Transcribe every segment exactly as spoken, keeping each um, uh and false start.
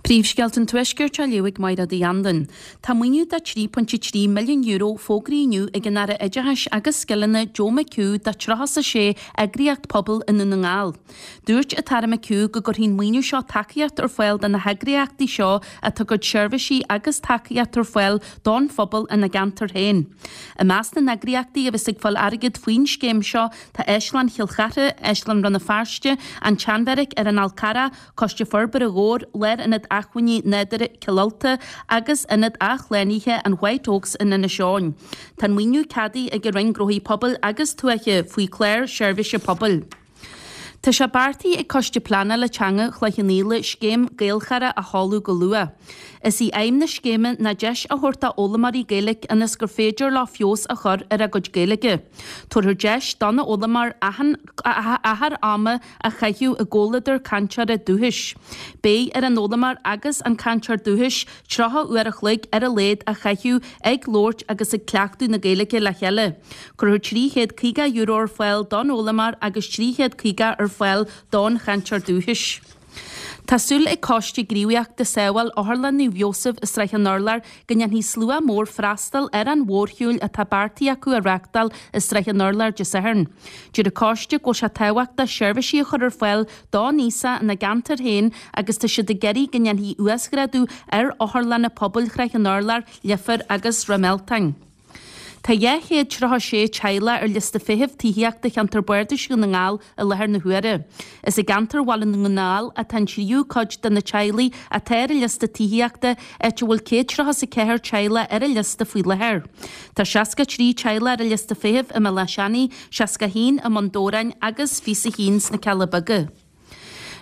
Príomhscéalta an Tuaiscirt á léamh ag Máire Uí Anluain. Tá maoiniú de trí pointe trí milliún euro fógraithe inniu ag an Aire Oideachais agus Scileanna Joe McHugh do tríocha a sé eagraíocht pobail i nDún na nGall. Dúirt an tAire McHugh go gcuirfidh an maoiniú seo tacaíocht ar fáil do na heagraíochtaí seo atá ag cur seirbhísí agus tacaíocht ar fáil don phobal ina gceantar féin. I measc na n-eagraíochtaí a bheas ag fáil airgead faoin scéim seo tá Áislann Chill Chartha, Áislann Rann na Feirste, an tSeanbheairic ar an Fhál Carrach, Coiste Forbartha Dhobhair, Lárionad Acmhainní Nádúrtha Chill Ulta agus Ionad Athshlánaithe an White Oaks in Inis Eoghain. Tá an maoiniú ceadaithe ag an Roinn Gnóthaí Pobail agus Tuaithe faoi chlár seirbhíse pobail. Tá sé beartaithe ag Coiste Pleanála Teanga Chloich Cheann Fhaola scéim Gaelchara a sheoladh go luath. Is í aidhm na scéime ná deis a thabhairt do fhoghlaimeoirí Gaeilge ionas gur féidir leo feabhas a chur ar a gcuid Gaeilge. Tabharfar deis don fhoghlaimeoir achar ama a chaitheamh i gcomhluadar cainteora dúchais. Beidh ar an fhoghlaimeoir agus an cainteoir dúchais tríocha uair a chloig ar a laghad a chaitheamh ag labhairt agus ag cleachtadh na Gaeilge le chéile. Cuirfear trí chéad caoga euro ar fáil don fhoghlaimeoir agus trí chéad caoga ar fáil don chainteoir dúchais. Tá súil ag Coiste Gníomhaíochta Sábháil Otharlann Naomh Iósaf i Srath an Urláir go ndéanfaidh slua mór freastal ar an mhórshiúl atá beartaithe acu a reáchtáil i Srath an Urláir Dé Sathairn. Deir an coiste go bhfuil sé tábhachtach seirbhísí a chur ar fáil don aosach ina gceantar féin agus tá siad ag iarraidh go ndéanfaí uasghrádú ar otharlanna pobail Shrath an Urláir, Leifear agus Ráth Mealtain. Tá dhá chéad tríocha sé teaghlach ar liosta feithimh tithíochta cheantar Bardais Dhún na nGall i láthair na huaire. Is i gceantar Bhaile na nGall atá an tríú cuid de na teaghlaigh atá ar an liosta tithíochta, áit a bhfuil céad tríocha is a ceathair teaghlach ar an liosta faoi láthair. Tá seasca trí teaghlach ar an liosta feithimh i mBéal Átha Seanaidh, seasca a haon i mBun Dobhráin agus fiche a haon sna Cealla Beaga.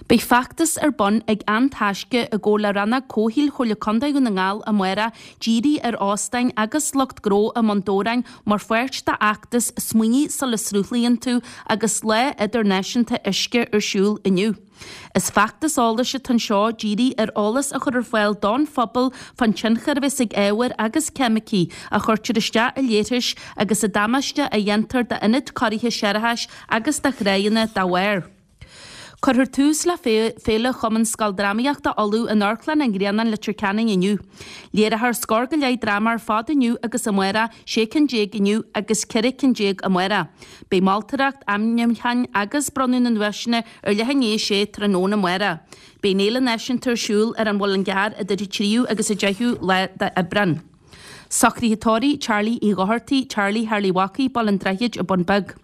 Beidh feachtas ar bun ag An Taisce i gcomhar le Rannóg Comhshaoil Chomhairle Contae Dhún na nGall amárach dírithe ar óstáin agus lucht gnó i mBun Dobhráin mar pháirt d'fheachtas Smaoinigh sula sruthlaíonn tú agus Lá Idirnáisiúnta Uisce ar siúl inniu. Is feachtas eolais atá anseo dírithe ar eolas a chur ar fáil don phobal fán tionchar a bheas ag ábhair agus ceimicí a chuirtear isteach i léarthais agus an damáiste a dhéantar d'ionaid cóirithe séarachais agus do thráigheanna dá bharr. Cuirfear tús le Féile Chumann Scoildrámaíochta Uladh in Amharclann an Ghrianáin, Leitir Ceanainn inniu. Léireofar scór go leith dráma ar fad inniu agus amárach, sé cinn déag inniu agus ceithre cinn déag amárach. Beidh moltóireacht, ainmniúcháin agus bronnadh na nduaiseanna ar leath i ndiaidh a sé tráthnóna amárach. Beidh an Fhéile Náisiúnta ar siúl ar an Mhuileann gCearr idir an tríú agus an deichiú lá d'Aibreán. Socruithe tórraimh Charlie Uí Dhochartaigh, Charlie Tharlaigh Mhacaigh, Baile an Droichid, An Bun Beag.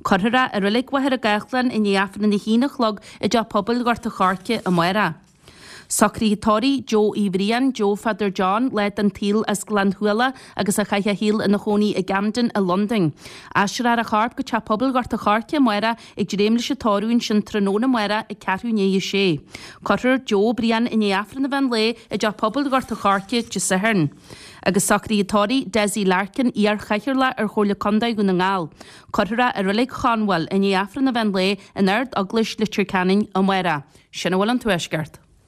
Cuirfear é i Reilig Mhachaire Gathlán i ndiaidh Aifreann a haon a chlog i dTeach Pobail Ghort a' Choirce amárach. Socruithe tórraimh Joe Uí Bhriain, Joe Pheadair John, lá den tsaol as Gleann Shuala agus a chaith a shaol ina chónaí i gCamden i Londain. Aistreofar a chorp go Teach Pobail Ghort a' Choirce amárach ag dréim leis an tórramh ansin tráthnóna amárach ag ceathrú i ndiaidh a sé. Cuirfear Joe Brian i ndiaidh Aifreann an mheán lae i dTeach Pobail Ghort a' Choirce Dé Sathairn. Agus socruithe tórraimh Dessie Larkin, iar-chathaoirleach ar Chomhairle Contae Dhún na nGall. Cuirfear é i Reilig Chonbhail i ndiaidh Aifreann an mheán lae in Ard-Eaglais Leitir Ceanainn amárach. Sin a bhfuil ón Tuaisceart.